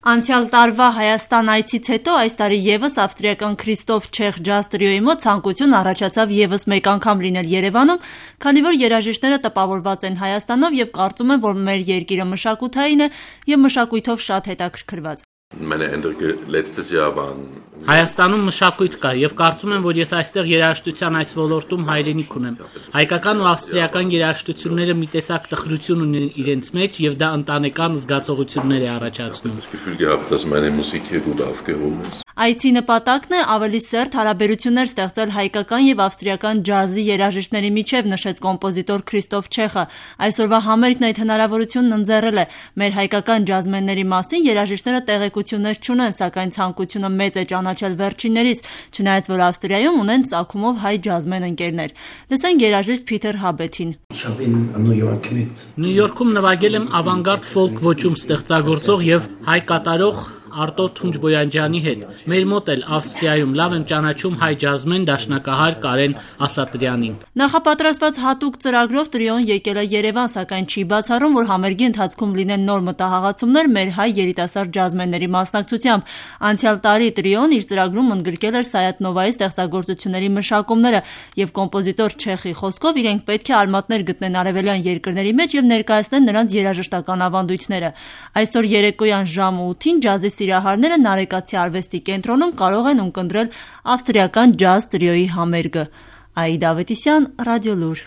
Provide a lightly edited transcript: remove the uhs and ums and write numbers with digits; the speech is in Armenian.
Անցյալ տարվա Հայաստան այցից հետո այս տարի ևս ավստրիական Քրիստոֆ Չեխ ջազ տրիոյի մոտ ցանկություն առաջացավ ևս մեկ անգամ լինել Երևանում, քանի որ երաժիշտները տպավորված են Հայաստանով եւ կարծում են, որ մեր երկիրը մշակութային է եւ մշակույթով շատ հետաքրքրված։ Հայաստանում մշակույթ կա եւ կարծում եմ, որ ես այստեղ երաժշտության այս ոլորտում հայրենիք ունեմ։ Հայկական ու ավստրիական երաժշտությունները մի տեսակ տխրություն ունեն իրենց մեջ եւ դա ընտանեկան զգացողություններ է առաջացնում։ Այցի նպատակն է ավելի սերտ հարաբերություններ ստեղծել հայկական եւ ավստրիական ջազի երաժիշտների միջև, նշեց կոմպոզիտոր Քրիստոֆ Չեխը։ Այսօրվա համերգն այդ հնարավորությունն ընձեռել է։ Մեր հայկական ջազմենների մասին երաժիշտները տեղեկություններ չունեն, սակայն ցանկությունը մեծ է ճանաչել վերջիններից, չնայած որ Ավստրիայում ունեն ծագումով հայ ջազմեն ընկերներ։ Լսենք երաժիշտ Փիթեր Հաբեթին։ Նյու Յորքում նվագել եմ ավանգարդ ֆոլք ոճում ստեղծագործող եւ հայ կատարող Արտո Թունջբոյանջյանի հետ։ Մեր մոտ էլ Ավստրիայում լավ եմ ճանաչում հայ ջազմեն դաշնակահար Կարեն Ասատրյանին։ Նախապատրաստված հատուկ ծրագրով տրիոն եկել է Երևան, սակայն չի բացառում, որ համերգի ընթացքում լինեն նոր մտահղացումներ մեր հայ երիտասարդ ջազմենների մասնակցությամբ։ Անցյալ տարի տրիոն իր ծրագրում ընդգրկել էր Սայաթ-Նովայի ստեղծագործությունների մշակումները եւ կոմպոզիտոր Չեխի խոսքով իրենք պետք է արմատներ գտնեն արևելյան երկրների մեջ եւ ներկայացնեն նրանց երաժշտական ավանդույթները։ Այսօր երեկոյան ժամը 8-ին ջազի սիրահարները Նարեկացի արվեստի կենտրոնում կարող են ունկնդրել ավստրիական ջազ տրիոյի համերգը։ Աիդա Ավետիսյան, Ռադիոլուր։